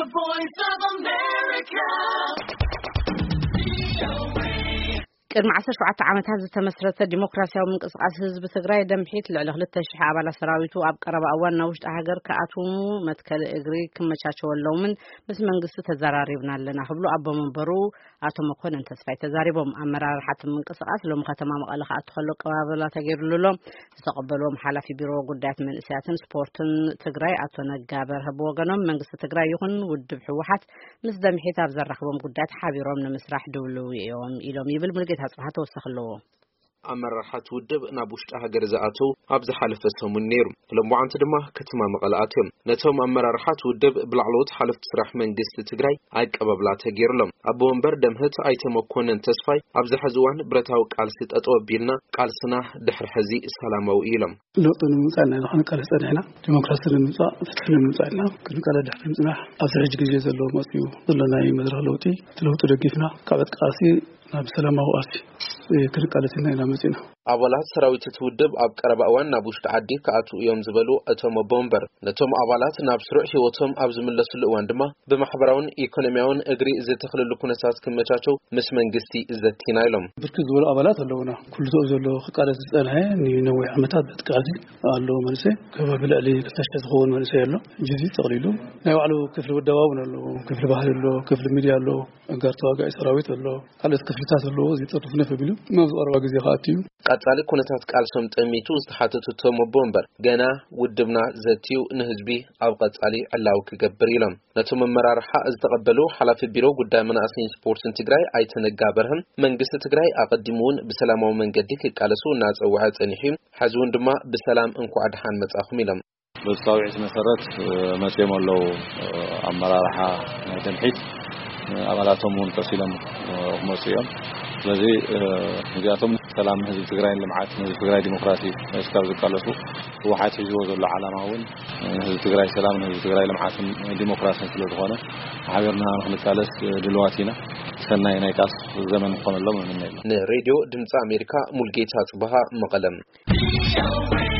Voice of America. ቅድሚ ዓሰርተ ሸውዓተ ዓመታት ዝተመስረተ ዲሞክራሲያዊ ምንቅስቃስ ህዝቢ ትግራይ፣ ደምሒት ልዕሊ ክልተ ሺሕ ኣባላት ሰራዊቱ ኣብ ቀረባ እዋን ናብ ውሽጢ ሃገር ክኣትዉ መትከሊ እግሪ ክመቻቸወሎምን ምስ መንግስቲ ተዘራሪብና ኣለና ክብሉ ኣቦ መንበሩ ኣቶ መኮንን ተስፋይ ተዛሪቦም። ኣመራርሓ እቲ ምንቅስቃስ ሎሚ ከተማ መቐለ ክኣቱ ከሎ ኣቀባበላ ተገይሩሉ ኣሎ። ዝተቐበልዎም ሓላፊ ቢሮ ጉዳያት መንእሰያትን ስፖርትን ትግራይ ኣቶ ነጋ በርሀ ብወገኖም፣ መንግስቲ ትግራይ ይኹን ውድብ ህወሓት ምስ ደምሒት ኣብ ዘራኽቦም ጉዳያት ሓቢሮም ንምስራሕ ድውልው እዮም ኢሎም ይብል። ሙሉጌታ ጽባህ ተወሳኺ ኣለዎ። ኣመራርሓ እቲ ውድብ ናብ ውሽጢ ሃገር ዝኣተው ኣብ ዝሓለፈ ሰሙን ነይሩ። ሎምዓንቲ ድማ ከተማ መቐለ ኣትዮም። ነቶም ኣመራርሓ እቲ ውድብ ብላዕለዎት ሓለፍቲ ስራሕ መንግስቲ ትግራይ ኣቀባብላ ተገይሩሎም። ኣቦ ወንበር ደምህት ኣይተ መኮንን ተስፋይ፣ ኣብዚ ሕዚ እዋን ብረታዊ ቃልሲ ጠጠው ኣቢልና፣ ቃልስና ድሕሪ ሕዚ ሰላማዊ እዩ ኢሎም። ለውጢ ንምምፃእ ኢና ክንቃለስ ፀኒሕና። ዲሞክራሲ ንምምፃእ፣ ፍትሒ ንምምፃእ ኢና ክንቃለስ ድሕሪ ምፅናሕ፣ ኣብዚ ሕጂ ግዜ ዘሎ መፅዩ ዘሎ ናይ መድረኽ ለውጢ፣ እቲ ለውጢ ደጊፍና ካብ ዕጥቂ ቃልሲ ናብ ሰላማዊ ቃልሲ ክንቃለስ ኢና ኢና መፂና። ኣባላት ሰራዊት እቲ ውድብ ኣብ ቀረባ እዋን ናብ ውሽጢ ዓዲ ክኣትዉ እዮም ዝበሉ እቶም ኣቦ ወንበር፣ ነቶም ኣባላት ናብ ስሩዕ ህይወቶም ኣብ ዝምለስሉ እዋን ድማ ብማሕበራውን ኢኮኖሚያውን እግሪ ዝተኽልሉ ኩነታት ክመቻቸው ምስ መንግስቲ ዘቲና ኢሎም። ብርክት ዝበሉ ኣባላት ኣለውና። ኩሉ ተኡ ዘሎ ክቃለስ ዝጸንሐ ንነዊሕ ዓመታት ብዕጥቂ ቃልሲ ኣሎ መንእሰይ። ከባቢ ልዕሊ ክልተ ሽሕ ዝኸውን መንእሰይ ኣሎ። ሕጂ እዚ ጠቕሊሉ ናይ ባዕሉ ክፍሊ ውደባ እውን ኣሎ፣ ክፍሊ ባህሊ ኣሎ፣ ክፍሊ ሚድያ ኣሎ፣ ኣጋር ተዋጋኢ ሰራዊት ኣሎ፣ ካልኦት ክፍልታት ኣለዎ። እዚ ጠርኒፉ ነፍ ኣቢሉ ናብ ዝቐረባ ግዜ ክኣቱ እዩ። ቀጻሊ ኩነታት ቃልሶም ጠሚቱ ዝተሓተቱ እቶም ኣቦ ወንበር፣ ገና ውድብና ዘትዩ ንህዝቢ ኣብ ቀጻሊ ዕላዊ ክገብር ኢሎም። ነቶም ኣመራርሓ ዝተቐበሉ ሓላፊ ቢሮ ጉዳይ መናእሰይን ስፖርትን ትግራይ ኣይተ ነጋ በርሀን፣ መንግስቲ ትግራይ ኣቐዲሙ እውን ብሰላማዊ መንገዲ ክቃለሱ እናጸውዐ ጸኒሑ እዩ። ሕዚ እውን ድማ ብሰላም እንኳዕ ደሓን መጻኹም ኢሎም። በቲ ጻውዒት መሰረት፣ እ፣ መጺኦም ኣለዉ። እ፣ ኣመራርሓ ናይ ደምሒት፣ እ፣ ኣባላቶም እውን ቀስ ኢሎም፣ እ፣ ክመጹ እዮም። ስለዚ፣ እ፣ እዚኣቶም ሰላም ህዝቢ ትግራይን ልምዓት ህዝቢ ትግራይ ዲሞክራሲ እስካብ ዝቃለሱ ህወሓት ሒዝዎ ዘሎ ዓላማ እውን፣ እ፣ ህዝቢ ትግራይ ሰላምን ህዝቢ ትግራይ ልምዓትን ዲሞክራሲን ስለ ዝኾነ ሓቢርና ንክንቃለስ፣ እ፣ ድልዋት ኢና። ሰናይ ናይ ቃልሲ ዘመን ክኾነሎም እምነ ኣለና። ንሬድዮ ድምፂ ኣሜሪካ ሙልጌታ ጽበሃ መቐለም።